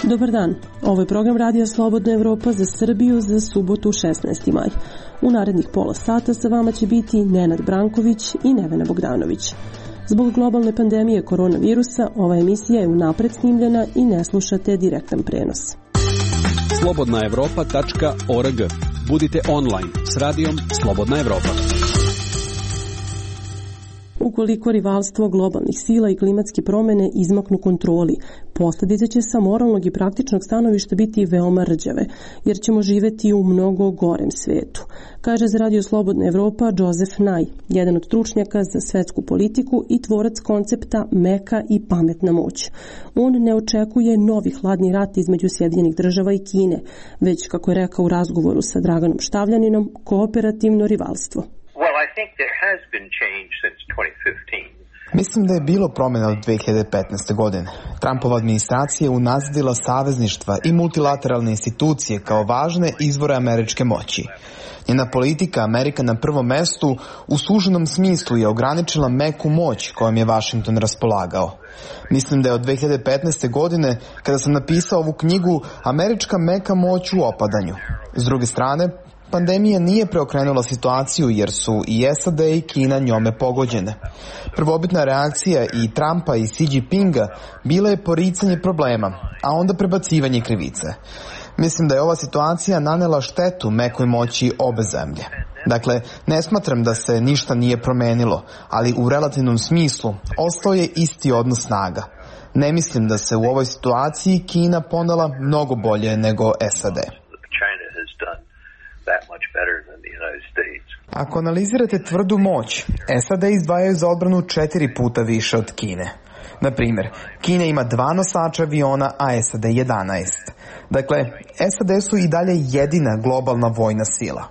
Dobar dan, ovo je program Radija Slobodna Evropa za Srbiju za subotu 16. maj. U narednih pola sata sa vama će biti Nenad Branković i Nevena Bogdanović. Zbog globalne pandemije koronavirusa, ova emisija je unapred snimljena i ne slušate direktan prenos. slobodnaevropa.org. Budite online s radijom Slobodna Evropa. Ukoliko rivalstvo globalnih sila i klimatske promene izmaknu kontroli, posljedice će sa moralnog i praktičnog stanovišta biti veoma rđave, jer ćemo živeti u mnogo gorem svetu, kaže za Radio Slobodna Evropa Joseph Nye, jedan od stručnjaka za svetsku politiku i tvorac koncepta meka i pametna moć. On ne očekuje novi hladni rat između Sjedinjenih Država i Kine, već, kako je rekao u razgovoru sa Draganom Štavljaninom, kooperativno rivalstvo. Mislim da je bilo promjena od 2015. godine. Trumpova administracija je unazadila savezništva i multilateralne institucije kao važne izvore američke moći. Njena politika Amerika na prvom mestu u suženom smislu je ograničila meku moć kojom je Washington raspolagao. Mislim da je od 2015. godine, kada sam napisao ovu knjigu, američka meka moć u opadanju. S druge strane, pandemija nije preokrenula situaciju jer su i SAD i Kina njome pogođene. Prvobitna reakcija i Trumpa i Xi Jinpinga bila je poricanje problema, a onda prebacivanje krivice. Mislim da je ova situacija nanela štetu mekoj moći obe zemlje. Dakle, ne smatram da se ništa nije promenilo, ali u relativnom smislu ostao je isti odnos snaga. Ne mislim da se u ovoj situaciji Kina ponela mnogo bolje nego SAD. Ako analizirate tvrdu moć, SAD izdvajaju za odbranu 4 puta više od Kine. Na primjer, Kina ima 2 nosača aviona, a SAD 11. Dakle, SAD su i dalje jedina globalna vojna sila.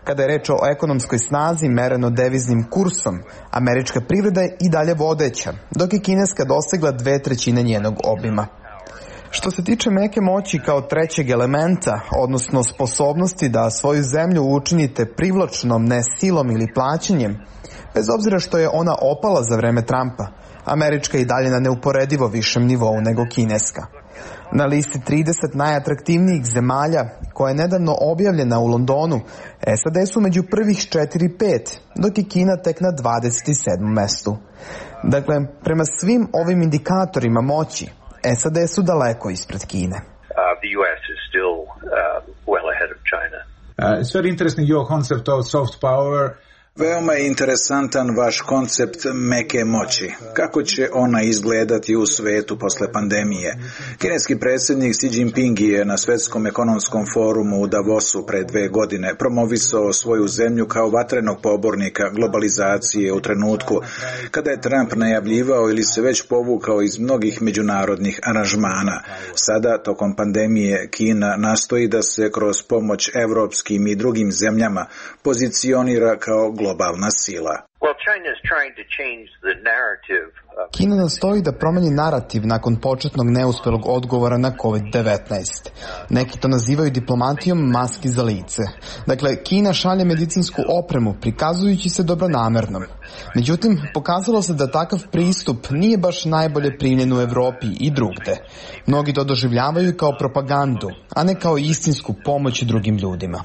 Kada je reč o ekonomskoj snazi mereno deviznim kursom, američka privreda je i dalje vodeća, dok je kineska dosegla 2/3 njenog obima. Što se tiče meke moći kao trećeg elementa, odnosno sposobnosti da svoju zemlju učinite privlačnom ne silom ili plaćanjem, bez obzira što je ona opala za vreme Trumpa, američka je i dalje na neuporedivo višem nivou nego kineska. Na listi 30 najatraktivnijih zemalja, koja je nedavno objavljena u Londonu, SAD su među prvih 4-5, dok je Kina tek na 27. mestu. Dakle, prema svim ovim indikatorima moći, SAD su daleko ispred Kine. The US is still well ahead of China. It's very interesting your concept of soft power. Veoma je interesantan vaš koncept meke moći. Kako će ona izgledati u svetu posle pandemije? Kineski predsjednik Xi Jinping je na Svjetskom ekonomskom forumu u Davosu pre 2 godine promovisao svoju zemlju kao vatrenog pobornika globalizacije u trenutku kada je Trump najavljivao ili se već povukao iz mnogih međunarodnih aranžmana. Sada, tokom pandemije, Kina nastoji da se kroz pomoć evropskim i drugim zemljama pozicionira kao globalna sila. Kina nastoji da promeni narativ nakon početnog neuspelog odgovora na COVID-19. Neki to nazivaju diplomatijom maski za lice. Dakle, Kina šalje medicinsku opremu prikazujući se dobronamernom. Međutim, pokazalo se da takav pristup nije baš najbolje primljen u Evropi i drugde. Mnogi to doživljavaju kao propagandu, a ne kao istinsku pomoć drugim ljudima.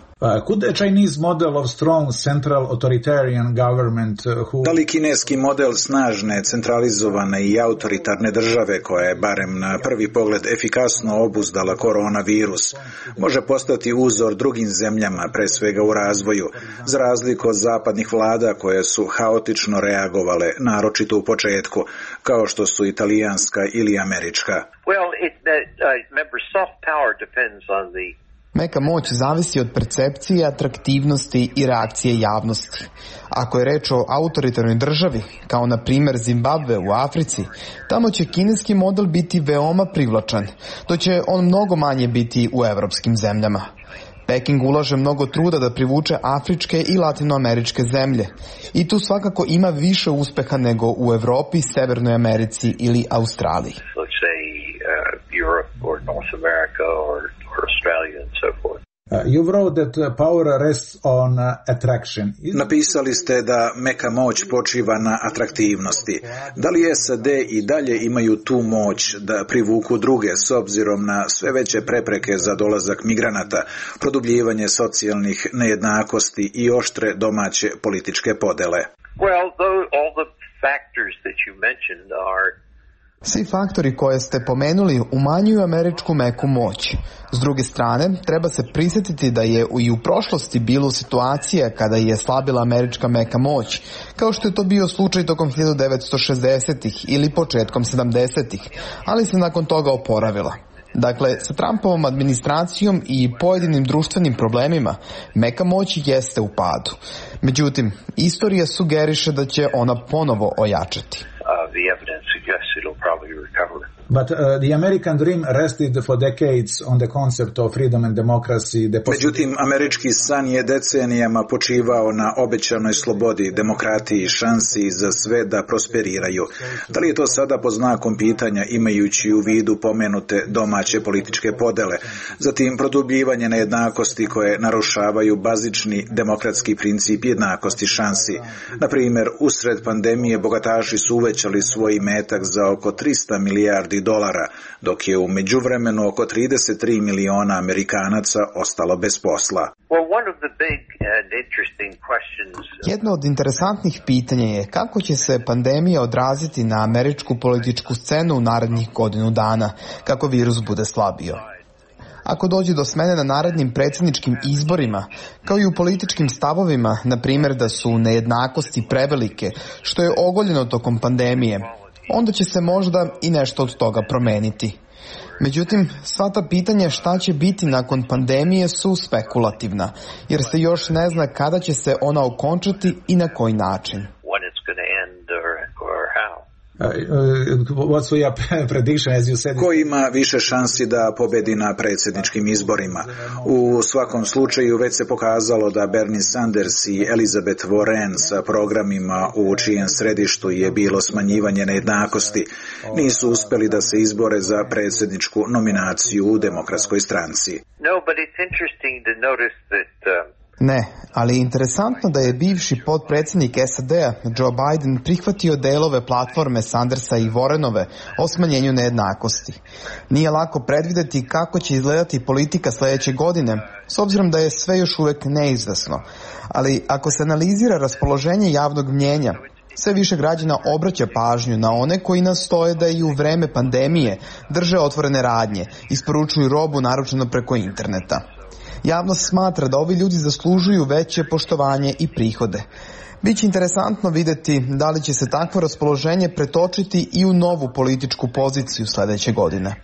Could the Chinese model of strong central authoritarian government Da li kineski model snažne, centralizovane i autoritarne države koja je barem na prvi pogled efikasno obuzdala koronavirus može postati uzor drugim zemljama, pre svega u razvoju, za razliku od zapadnih vlada koje su haotično reagovale, naročito u početku, kao što su italijanska ili američka? Meka moć zavisi od percepcije, atraktivnosti i reakcije javnosti. Ako je reč o autoritarnoj državi, kao na primjer Zimbabve u Africi, tamo će kineski model biti veoma privlačan, dok će on mnogo manje biti u evropskim zemljama. Peking ulaže mnogo truda da privuče afričke i latinoameričke zemlje i tu svakako ima više uspeha nego u Evropi, Severnoj Americi ili Australiji. You wrote that power rests on attraction. Napisali ste da meka moć počiva na atraktivnosti. Da li SAD i dalje imaju tu moć da privuku druge s obzirom na sve veće prepreke za dolazak migranata, produbljivanje socijalnih nejednakosti i oštre domaće političke podele? Well, all the factors that you mentioned are Svi faktori koje ste pomenuli umanjuju američku meku moć. S druge strane, treba se prisjetiti da je i u prošlosti bilo situacija kada je slabila američka meka moć, kao što je to bio slučaj tokom 1960-ih ili početkom 70-ih, ali se nakon toga oporavila. Dakle, sa Trumpovom administracijom i pojedinim društvenim problemima, meka moć jeste u padu. Međutim, istorija sugeriše da će ona ponovo ojačati. The evidence suggests it'll probably recover. But the American dream rested for decades on the concept of freedom and democracy. Međutim, američki san je decenijama počivao na obećanoj slobodi, demokratiji i šansi za sve da prosperiraju. Da li je to sada pod znakom pitanja imajući u vidu pomenute domaće političke podele, zatim produbljivanje nejednakosti koje narušavaju bazični demokratski princip jednakosti šansi. Na primjer, usred pandemije bogataši su uvećali svoj imetak za oko 300 milijardi dolara, dok je u međuvremenu oko 33 miliona Amerikanaca ostalo bez posla. Jedno od interesantnih pitanja je kako će se pandemija odraziti na američku političku scenu u narednih godinu dana, kako virus bude slabio. Ako dođe do smene na narednim predsjedničkim izborima, kao i u političkim stavovima, na primjer da su nejednakosti prevelike, što je ogoljeno tokom pandemije, onda će se možda i nešto od toga promeniti. Međutim, sva ta pitanja šta će biti nakon pandemije su spekulativna, jer se još ne zna kada će se ona okončati i na koji način. What's your prediction, as you said? Ko ima više šansi da pobedi na predsjedničkim izborima? U svakom slučaju već se pokazalo da Bernie Sanders i Elizabeth Warren sa programima u čijem središtu je bilo smanjivanje nejednakosti nisu uspjeli da se izbore za predsjedničku nominaciju u Demokratskoj stranci. No, but it's interesting to notice that Ne, ali je interesantno da je bivši potpredsjednik SAD-a Joe Biden prihvatio delove platforme Sandersa i Warrenove o smanjenju nejednakosti. Nije lako predvidjeti kako će izgledati politika sljedeće godine, s obzirom da je sve još uvijek neizvesno. Ali ako se analizira raspoloženje javnog mnijenja, sve više građana obraća pažnju na one koji nastoje da i u vreme pandemije drže otvorene radnje, isporučuju robu naručeno preko interneta. Javnost smatra da ovi ljudi zaslužuju veće poštovanje i prihode. Biće interesantno vidjeti da li će se takvo raspoloženje pretočiti i u novu političku poziciju sljedeće godine.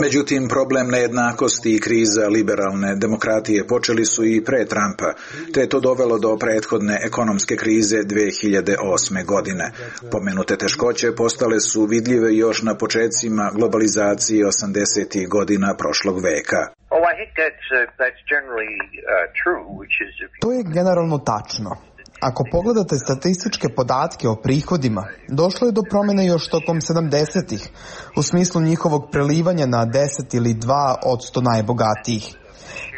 Međutim, problem nejednakosti i kriza liberalne demokratije počeli su i pre Trumpa, te je to dovelo do prethodne ekonomske krize 2008. godine. Pomenute teškoće postale su vidljive još na počecima globalizacije 80. godina prošlog veka. To je generalno tačno. Ako pogledate statističke podatke o prihodima, došlo je do promjene još tokom 70-ih, u smislu njihovog prelivanja na 10 ili 2% najbogatijih.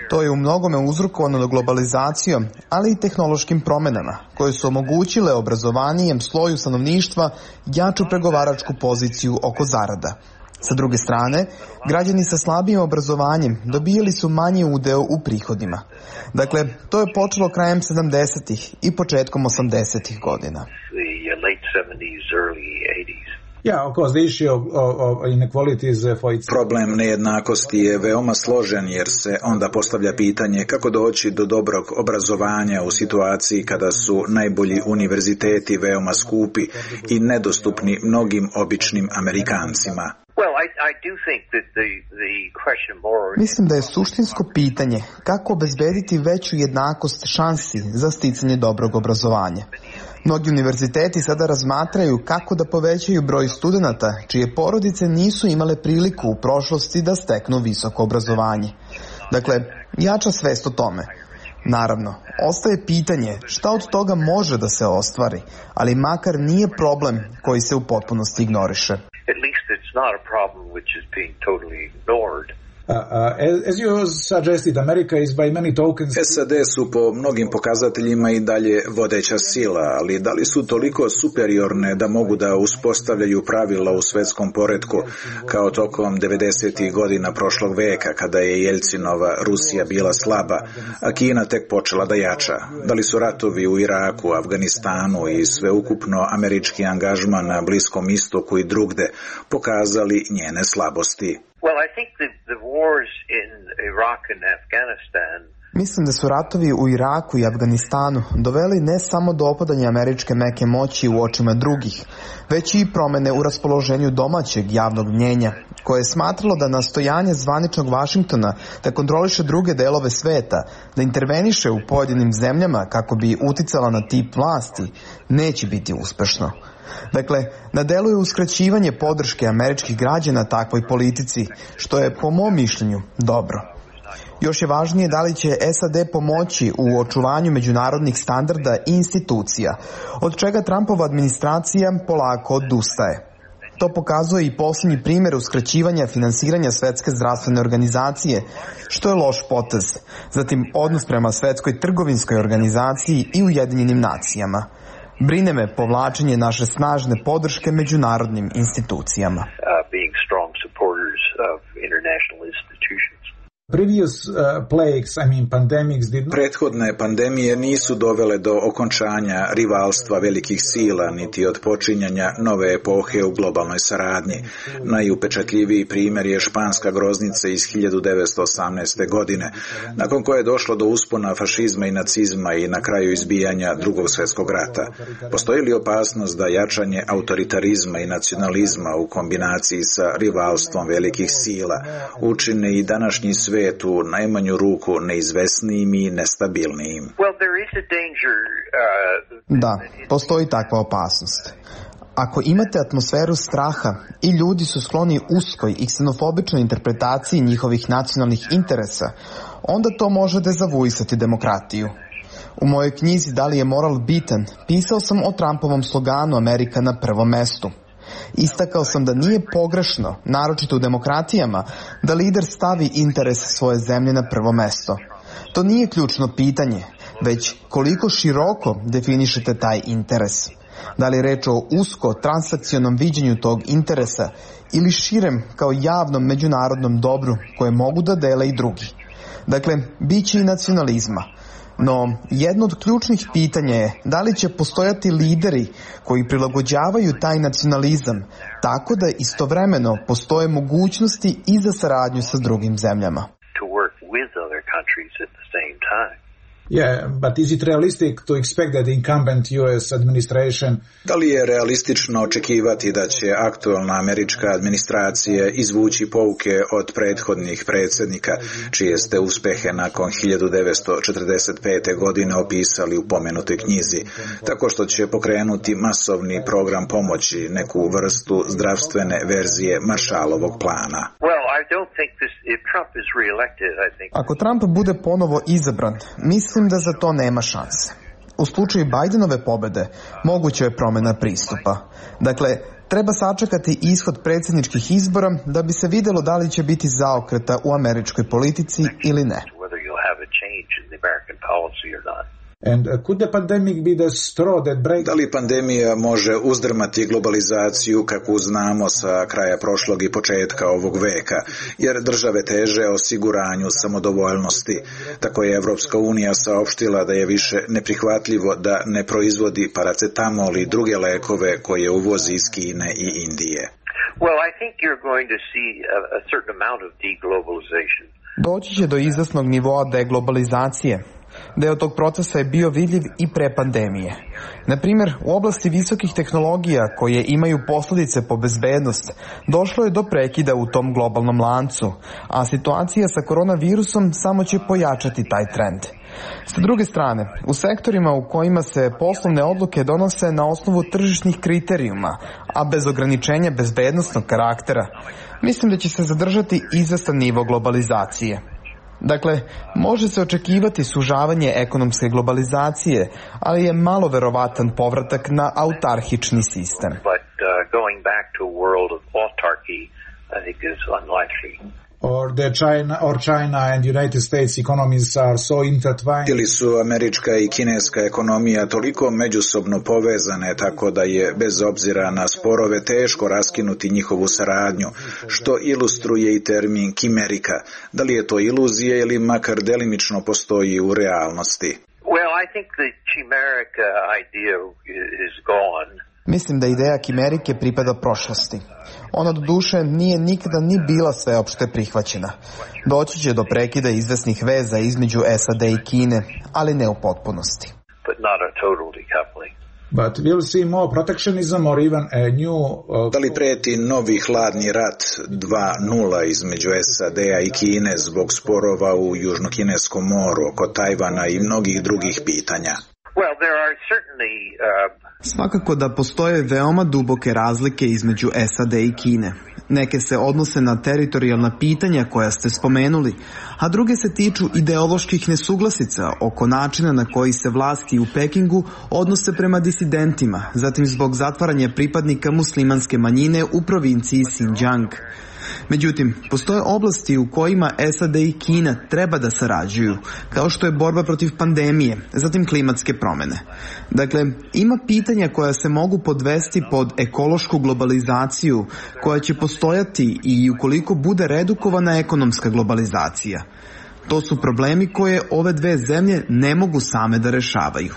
To je u mnogome uzrokovano globalizacijom, ali i tehnološkim promjenama, koje su omogućile obrazovanijem sloju stanovništva jaču pregovaračku poziciju oko zarada. Sa druge strane, građani sa slabijim obrazovanjem dobijali su manji udeo u prihodima. Dakle, to je počelo krajem 70-ih i početkom 80-ih godina. Problem nejednakosti je veoma složen jer se onda postavlja pitanje kako doći do dobrog obrazovanja u situaciji kada su najbolji univerziteti veoma skupi i nedostupni mnogim običnim Amerikancima. Mislim da je suštinsko pitanje kako obezbediti veću jednakost šansi za sticanje dobrog obrazovanja. Mnogi univerziteti sada razmatraju kako da povećaju broj studenata čije porodice nisu imale priliku u prošlosti da steknu visoko obrazovanje. Dakle, jača svest o tome. Naravno, ostaje pitanje šta od toga može da se ostvari, ali makar nije problem koji se u potpunosti ignoriše. At least it's not a problem which is being totally ignored. As you suggested, America is by many tokens... SAD su po mnogim pokazateljima i dalje vodeća sila, ali da li su toliko superiorne da mogu da uspostavljaju pravila u svetskom poretku kao tokom 90. godina prošlog veka kada je Jelcinova Rusija bila slaba, a Kina tek počela da jača? Da li su ratovi u Iraku, Afganistanu i sveukupno američki angažman na Bliskom istoku i drugde pokazali njene slabosti? Well, I think the wars in Iraq and Afghanistan. Mislim da su ratovi u Iraku i Afganistanu doveli ne samo do opadanja američke meke moći u očima drugih, već i promene u raspoloženju domaćeg javnog mnjenja, koje je smatralo da nastojanje zvaničnog Vašingtona da kontroliše druge delove sveta, da interveniše u pojedinim zemljama kako bi uticala na tip vlasti, neće biti uspešno. Dakle, na delu je uskraćivanje podrške američkih građana takvoj politici, što je po mom mišljenju dobro. Još je važnije da li će SAD pomoći u očuvanju međunarodnih standarda i institucija, od čega Trumpova administracija polako odustaje. To pokazuje i posljednji primjer uskraćivanja finansiranja Svetske zdravstvene organizacije, što je loš potez. Zatim odnos prema Svetskoj trgovinskoj organizaciji i Ujedinjenim nacijama. Brine me povlačenje naše snažne podrške međunarodnim institucijama. Being strong supporters of international institutions. Prethodne pandemije nisu dovele do okončanja rivalstva velikih sila, niti od počinjanja nove epohe u globalnoj saradnji. Najupečatljiviji primjer je španska groznica iz 1918. godine, nakon koje je došlo do uspona fašizma i nacizma i na kraju izbijanja Drugog svjetskog rata. Postoji li opasnost da jačanje autoritarizma i nacionalizma u kombinaciji sa rivalstvom velikih sila učine i današnji svijet u najmanju ruku neizvesnijim i nestabilnijim? Da, postoji takva opasnost. Ako imate atmosferu straha i ljudi su skloni uskoj i ksenofobičnoj interpretaciji njihovih nacionalnih interesa, onda to može dezavuisati demokratiju. U mojoj knjizi Da li je moral bitan, pisao sam o Trumpovom sloganu Amerika na prvom mestu. Istakao sam da nije pogrešno, naročito u demokratijama, da lider stavi interes svoje zemlje na prvo mesto. To nije ključno pitanje, već koliko široko definišete taj interes. Da li je reč o usko transakcionom viđenju tog interesa ili širem kao javnom međunarodnom dobru koje mogu da dele i drugi. Dakle, bit će i nacionalizma. No, jedno od ključnih pitanja je da li će postojati lideri koji prilagođavaju taj nacionalizam tako da istovremeno postoje mogućnosti i za saradnju sa drugim zemljama. But is it realistic to expect that the incumbent US administration... Da li je realistično očekivati da će aktualna američka administracija izvući pouke od prethodnih predsjednika, čije ste uspehe nakon 1945. godine opisali u pomenutoj knjizi, tako što će pokrenuti masovni program pomoći, neku vrstu zdravstvene verzije Marshallovog plana? Ako Trump bude ponovo izabran, mislim da za to nema šanse. U slučaju Bidenove pobede moguća je promjena pristupa. Dakle, treba sačekati ishod predsjedničkih izbora da bi se vidjelo da li će biti zaokreta u američkoj politici ili ne. And could the pandemic be the straw that breaks... Da li pandemija može uzdrmati globalizaciju kakvu znamo sa kraja prošlog i početka ovog veka, jer države teže osiguranju samodovoljnosti. Tako je Evropska unija saopštila da je više neprihvatljivo da ne proizvodi paracetamol i druge lekove koje uvozi iz Kine i Indije. Well, I think you're going to see a certain amount of deglobalization. Doći će do izvesnog nivoa deglobalizacije. Deo tog procesa je bio vidljiv i pre pandemije. Na primjer, u oblasti visokih tehnologija koje imaju posljedice po bezbednost, došlo je do prekida u tom globalnom lancu, a situacija sa koronavirusom samo će pojačati taj trend. Sa druge strane, u sektorima u kojima se poslovne odluke donose na osnovu tržišnih kriterijuma, a bez ograničenja bezbednosnog karaktera, mislim da će se zadržati izvestan nivo globalizacije. Dakle, može se očekivati sužavanje ekonomske globalizacije, ali je malo verovatan povratak na autarhični sistem. Going back to a world of autarky, I think is unlikely. China and United States economies are so intertwined. Ili su američka i kineska ekonomija toliko međusobno povezane tako da je bez obzira na sporove teško raskinuti njihovu saradnju, što ilustruje i termin kimerika. Da li je to iluzija ili makar delimično postoji u realnosti? Well, I think the chimeric idea is gone. Mislim da ideja kimerike pripada prošlosti. Ona do duše nije nikada ni bila sveopšte prihvaćena. Doći će do prekida izvesnih veza između SAD i Kine, ali ne u potpunosti. But we'll see more protectionism or even a new... Da li preti novi hladni rat 2.0 između SAD-a i Kine zbog sporova u Južnokineskom moru, oko Tajvana i mnogih drugih pitanja? Well, there are certainly Svakako da postoje veoma duboke razlike između SAD i Kine. Neke se odnose na teritorijalna pitanja koja ste spomenuli, a druge se tiču ideoloških nesuglasica oko načina na koji se vlasti u Pekingu odnose prema disidentima, zatim zbog zatvaranja pripadnika muslimanske manjine u provinciji Xinjiang. Međutim, postoje oblasti u kojima SAD i Kina treba da sarađuju, kao što je borba protiv pandemije, zatim klimatske promjene. Dakle, ima pitanja koja se mogu podvesti pod ekološku globalizaciju, koja će postojati i ukoliko bude redukovana ekonomska globalizacija. To su problemi koje ove dve zemlje ne mogu same da rešavaju.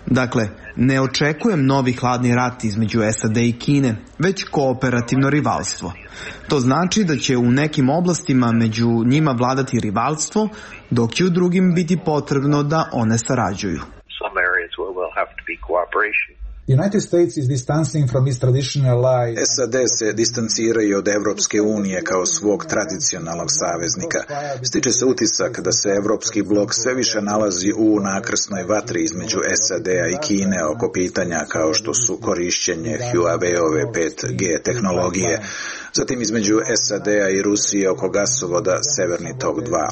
Dakle, ne očekujem novi hladni rat između SAD i Kine, već kooperativno rivalstvo. To znači da će u nekim oblastima među njima vladati rivalstvo, dok će u drugim biti potrebno da one sarađuju. United States is distancing from its traditional ally. SAD se distanciraju od Evropske unije kao svog tradicionalnog saveznika. Stiče se utisak da se Evropski blok sve više nalazi u nakrsnoj vatri između SAD-a i Kine oko pitanja kao što su korišćenje Huawei-ove 5G tehnologije, zatim između SAD-a i Rusije oko gasovoda Severni tok 2.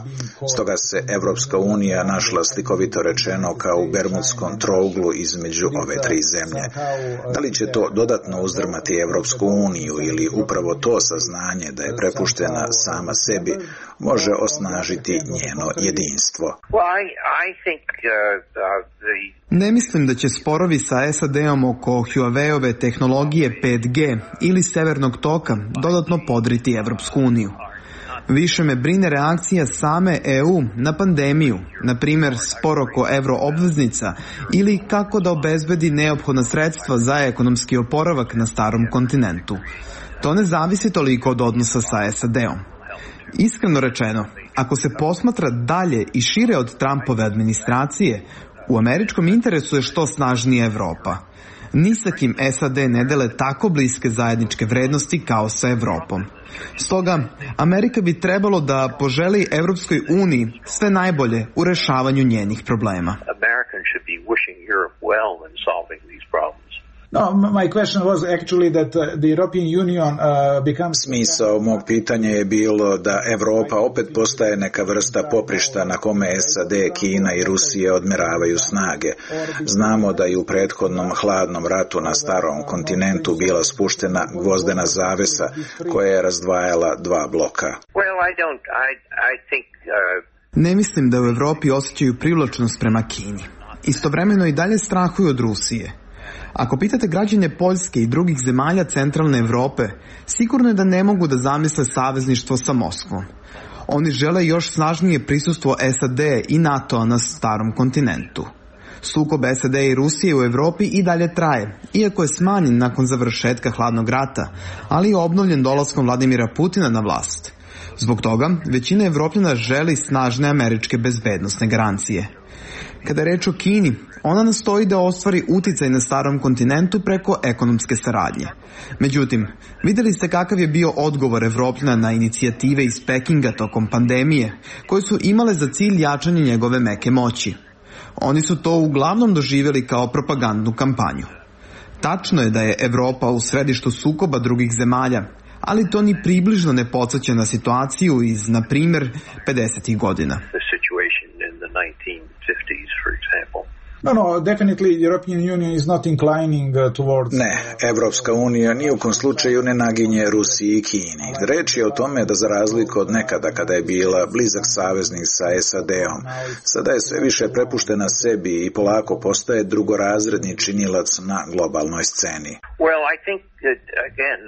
Stoga se Evropska unija našla slikovito rečeno kao u Bermudskom trouglu između ove tri zemlje. Da li će to dodatno uzdrmati Evropsku uniju ili upravo to saznanje da je prepuštena sama sebi može osnažiti njeno jedinstvo? Ne mislim da će sporovi sa SAD-om oko Huawei-ove tehnologije 5G ili Severnog toka dodatno podriti Evropsku uniju. Više me brine reakcija same EU na pandemiju, na primjer spor oko euroobveznica ili kako da obezbedi neophodna sredstva za ekonomski oporavak na starom kontinentu. To ne zavisi toliko od odnosa sa SAD-om. Iskreno rečeno, ako se posmatra dalje i šire od Trumpove administracije, u američkom interesu je što snažnija Evropa. Ni sa kim SAD ne dele tako bliske zajedničke vrednosti kao sa Evropom. Stoga, Amerika bi trebalo da poželi Evropskoj uniji sve najbolje u rešavanju njenih problema. No, my question was actually that the European Union becomes... Smisao mog pitanja je bilo da Evropa opet postaje neka vrsta poprišta na kome SAD, Kina i Rusija odmeravaju snage. Znamo da i u prethodnom hladnom ratu na starom kontinentu bila spuštena gvozdena zavesa koja je razdvajala dva bloka. Ne mislim da u Evropi osjećaju privlačnost prema Kini. Istovremeno i dalje strahuju od Rusije. Ako pitate građane Poljske i drugih zemalja centralne Evrope, sigurno je da ne mogu da zamisle savezništvo sa Moskvom. Oni žele još snažnije prisustvo SAD i NATO na starom kontinentu. Sukob SAD i Rusije u Evropi i dalje traje, iako je smanjen nakon završetka hladnog rata, ali je obnovljen dolaskom Vladimira Putina na vlast. Zbog toga, većina Evropljana želi snažne američke bezbednosne garancije. Kada je reč o Kini, ona nastoji da ostvari uticaj na starom kontinentu preko ekonomske saradnje. Međutim, vidjeli ste kakav je bio odgovor Evropljana na inicijative iz Pekinga tokom pandemije, koje su imale za cilj jačanje njegove meke moći. Oni su to uglavnom doživjeli kao propagandnu kampanju. Tačno je da je Evropa u središtu sukoba drugih zemalja, ali to ni približno ne podsjeća na situaciju iz, na primjer, 50. godina. No, definitely European Union is not inclining towards... Ne, Evropska unija ni u kom slučaju ne naginje Rusiji i Kini. Reč je o tome da za razliku od nekada kada je bila blizak saveznik sa SAD-om, sada je sve više prepuštena sebi i polako postaje drugorazredni činilac na globalnoj sceni. Well, I think that, again,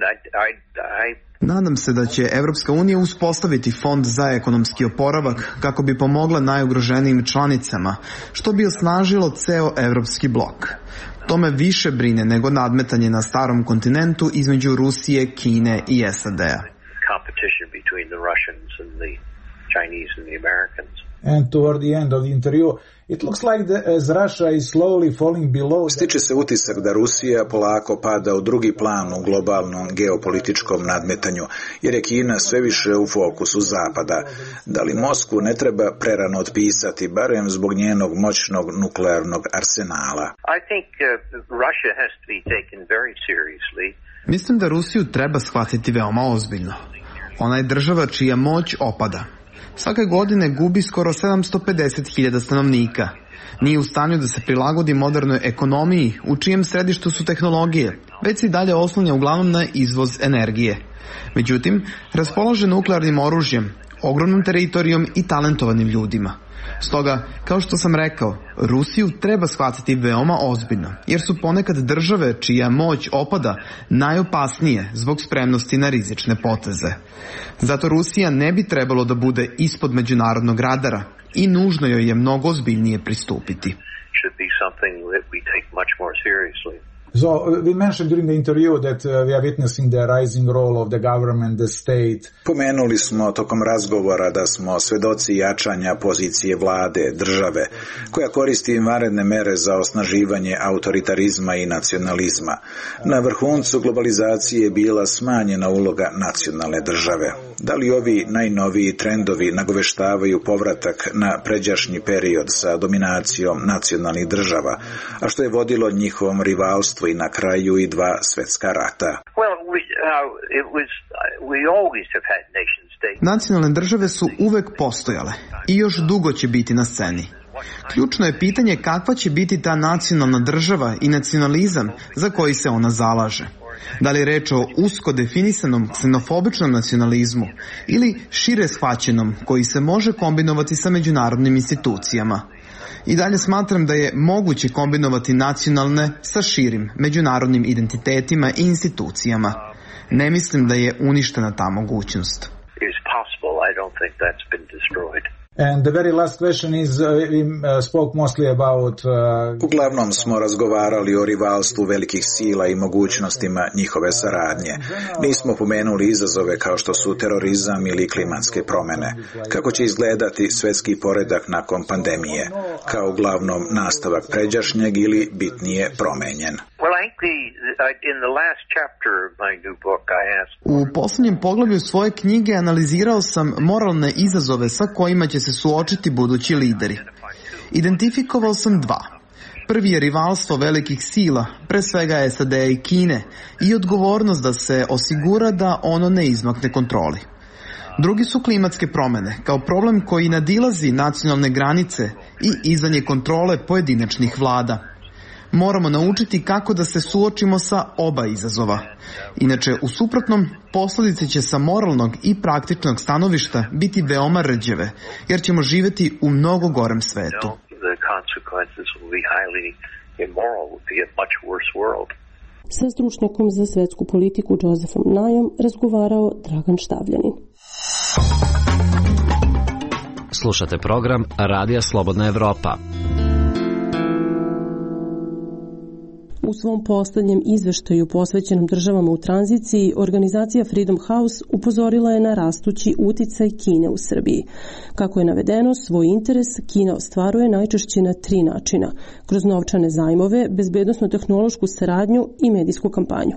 Nadam se da će Evropska unija uspostaviti fond za ekonomski oporavak kako bi pomogla najugroženijim članicama, što bi osnažilo ceo evropski blok. To me više brine nego nadmetanje na starom kontinentu između Rusije, Kine i SAD-a. And toward the end of the interview, it looks like as Russia is slowly falling below... Stiče se utisak da Rusija polako pada u drugi plan u globalnom geopolitičkom nadmetanju, jer je Kina sve više u fokusu Zapada. Da li Moskvu ne treba prerano otpisati, barem zbog njenog moćnog nuklearnog arsenala? I think Russia has to be taken very seriously. Mislim da Rusiju treba shvatiti veoma ozbiljno. Ona je država čija moć opada. Svake godine gubi skoro 750.000 stanovnika. Nije u stanju da se prilagodi modernoj ekonomiji, u čijem središtu su tehnologije, već se i dalje oslanja uglavnom na izvoz energije. Međutim, raspolaže nuklearnim oružjem, ogromnom teritorijom i talentovanim ljudima. Stoga, kao što sam rekao, Rusiju treba shvatiti veoma ozbiljno, jer su ponekad države čija moć opada najopasnije zbog spremnosti na rizične poteze. Zato Rusija ne bi trebalo da bude ispod međunarodnog radara i nužno joj je mnogo ozbiljnije pristupiti. So we mentioned during the interview that we are witnessing the rising role of the government, the state. Pomenuli smo tokom razgovora da smo svedoci jačanja pozicije vlade, države, koja koristi vanredne mere za osnaživanje autoritarizma i nacionalizma. Na vrhuncu globalizacije je bila smanjena uloga nacionalne države. Da li ovi najnoviji trendovi nagoveštavaju povratak na pređašnji period sa dominacijom nacionalnih država, a što je vodilo njihovom rivalstvu i na kraju i 2 svjetska rata? Nacionalne države su uvek postojale i još dugo će biti na sceni. Ključno je pitanje kakva će biti ta nacionalna država i nacionalizam za koji se ona zalaže. Da li je reč o usko definisanom ksenofobičnom nacionalizmu ili šire shvaćenom koji se može kombinovati sa međunarodnim institucijama. I dalje smatram da je moguće kombinovati nacionalne sa širim međunarodnim identitetima i institucijama. Ne mislim da je uništena ta mogućnost. And the very last question is, we spoke mostly about... Uglavnom smo razgovarali o rivalstvu velikih sila i mogućnostima njihove saradnje. Nismo pomenuli izazove kao što su terorizam ili klimatske promjene. Kako će izgledati svjetski poredak nakon pandemije? Kao uglavnom nastavak pređašnjeg ili bitnije promenjen? U posljednjem poglavlju svoje knjige analizirao sam moralne izazove sa kojima će se suočiti budući lideri. Identifikovao sam 2. Prvi je rivalstvo velikih sila, pre svega SAD i Kine, i odgovornost da se osigura da ono ne izmakne kontroli. Drugi su klimatske promjene, kao problem koji nadilazi nacionalne granice i izanje kontrole pojedinačnih vlada. Moramo naučiti kako da se suočimo sa oba izazova. Inače, u suprotnom, posljedice će sa moralnog i praktičnog stanovišta biti veoma rđave, jer ćemo živjeti u mnogo gorem svetu. Sa stručnjakom za svetsku politiku Josefom Najom razgovarao Dragan Štavljanin. Slušate program Radija Slobodna Evropa. U svom posljednjem izveštaju posvećenom državama u tranziciji, organizacija Freedom House upozorila je na rastući uticaj Kine u Srbiji. Kako je navedeno, svoj interes Kina ostvaruje najčešće na 3 načina: kroz novčane zajmove, bezbednosno-tehnološku saradnju i medijsku kampanju.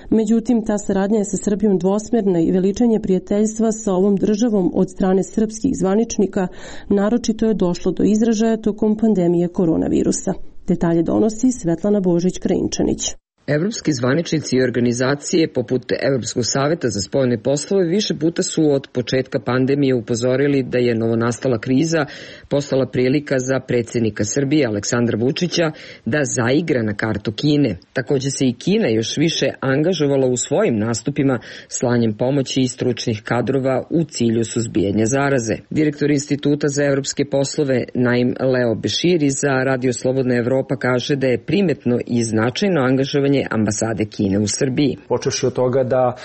Međutim, ta saradnja je sa Srbijom dvosmerna i veličanje prijateljstva sa ovom državom od strane srpskih zvaničnika naročito je došlo do izražaja tokom pandemije koronavirusa. Detalje donosi Svetlana Božić-Krajinčanić. Evropski zvaničnici i organizacije poput Evropskog saveta za spoljne poslove više puta su od početka pandemije upozorili da je novonastala kriza postala prilika za predsjednika Srbije Aleksandra Vučića da zaigra na kartu Kine. Također se i Kina još više angažovala u svojim nastupima slanjem pomoći i stručnih kadrova u cilju suzbijanja zaraze. Direktor Instituta za evropske poslove Naim Leo Beširi za Radio Slobodna Evropa kaže da je primetno i značajno angažovanje ambasade Kine u Srbiji. Počevši od toga da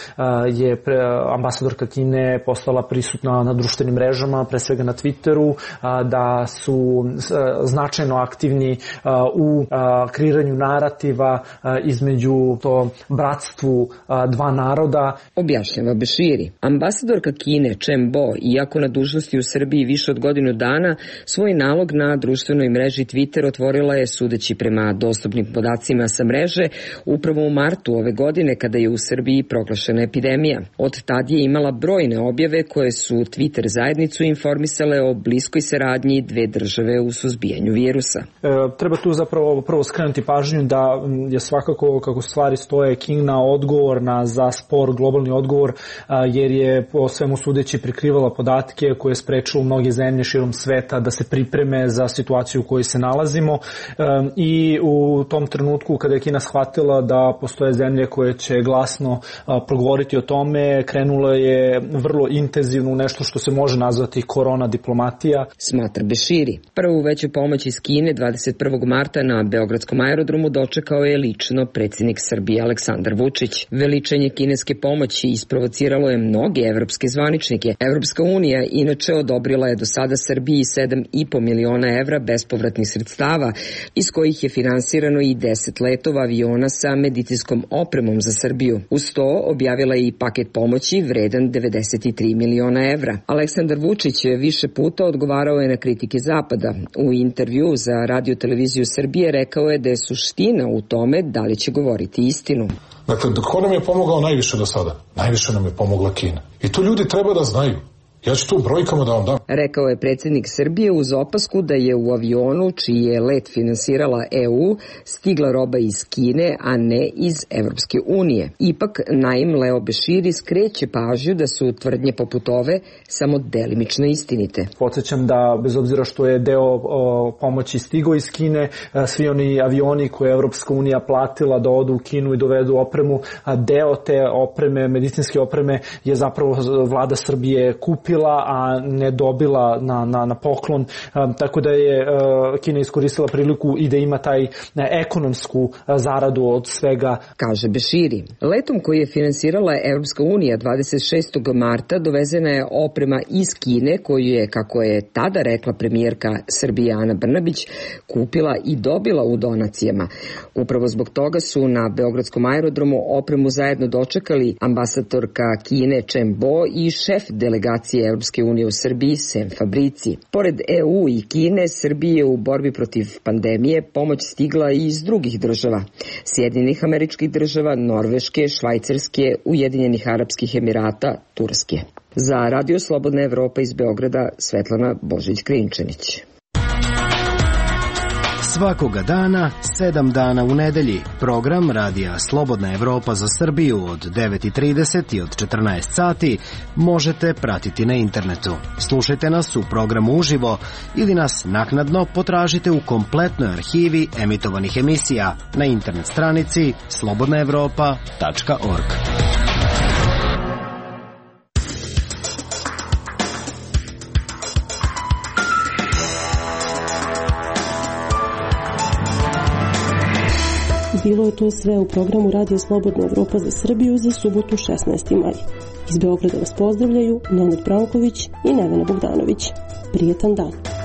je ambasadorka Kine postala prisutna na društvenim mrežama, pre svega na Twitteru, da su značajno aktivni u kreiranju narativa između to bratstvu dva naroda. Objašnjava Beširi. Ambasadorka Kine Chen Bo, iako na dužnosti u Srbiji više od godinu dana, svoj nalog na društvenoj mreži Twitter otvorila je, sudeći prema dostupnim podacima sa mreže, upravo u martu ove godine kada je u Srbiji proglašena epidemija. Od tad je imala brojne objave koje su Twitter zajednicu informisale o bliskoj saradnji dve države u suzbijanju virusa. Treba tu zapravo prvo skrenuti pažnju da je svakako, kako stvari stoje, Kina odgovorna za spor globalni odgovor, jer je po svemu sudeći prikrivala podatke koje je sprečilo mnoge zemlje širom sveta da se pripreme za situaciju u kojoj se nalazimo, i u tom trenutku kada je Kina shvatila da postoje zemlje koje će glasno progovoriti o tome, krenulo je vrlo intenzivno nešto što se može nazvati korona diplomatija. Smatra Beširi. Prvu veću pomoć iz Kine 21. marta na Beogradskom aerodromu dočekao je lično predsjednik Srbije Aleksandar Vučić. Veličanje kineske pomoći isprovociralo je mnoge evropske zvaničnike. Evropska unija inače odobrila je do sada Srbiji 7,5 miliona evra bespovratnih sredstava, iz kojih je finansirano i 10 letova aviona sa medicinskom opremom za Srbiju. Uz to objavila je i paket pomoći vredan 93 miliona evra. Aleksandar Vučić više puta odgovarao je na kritike Zapada. U intervju za Radio televiziju Srbije rekao je da je suština u tome da li će govoriti istinu. Dakle, ko nam je pomogao najviše do sada? Najviše nam je pomogla Kina. I to ljudi treba da znaju. Ja ću tu brojkama da vam dam. Rekao je predsjednik Srbije uz opasku da je u avionu, čiji je let finansirala EU, stigla roba iz Kine, a ne iz Evropske unije. Ipak, Naim Leo Beširi skreće pažnju da su tvrdnje poput ove samo delimično istinite. Podsjećam da, bez obzira što je deo pomoći stigao iz Kine, svi oni avioni koje je Evropska unija platila da odu u Kinu i dovedu opremu, deo te opreme, medicinske opreme, je zapravo vlada Srbije kupila, a ne dobila na poklon, tako da je Kina iskoristila priliku i da ima taj ekonomsku zaradu od svega. Kaže Beširi. Letom koji je finansirala Evropska unija 26. marta dovezena je oprema iz Kine koju je, kako je tada rekla premijerka Srbije Ana Brnabić, kupila i dobila u donacijama. Upravo zbog toga su na Beogradskom aerodromu opremu zajedno dočekali ambasadorka Kine Chen Bo i šef delegacije Evropske unije u Srbiji Sem Fabrici. Pored EU i Kine, Srbiji je u borbi protiv pandemije pomoć stigla i iz drugih država. Sjedinjenih Američkih Država, Norveške, Švajcarske, Ujedinjenih Arapskih Emirata, Turske. Za Radio Slobodna Evropa iz Beograda, Svetlana Božić-Krinčanić. Svakoga dana, 7 dana u nedelji, program Radija Slobodna Evropa za Srbiju od 9:30 i od 14 sati možete pratiti na internetu. Slušajte nas u programu uživo ili nas naknadno potražite u kompletnoj arhivi emitovanih emisija na internet stranici slobodnaevropa.org. Bilo je to sve u programu Radio Slobodna Evropa za Srbiju za subotu 16. maj. Iz Beograda vas pozdravljaju Nenad Branković i Nevena Bogdanović. Prijetan dan.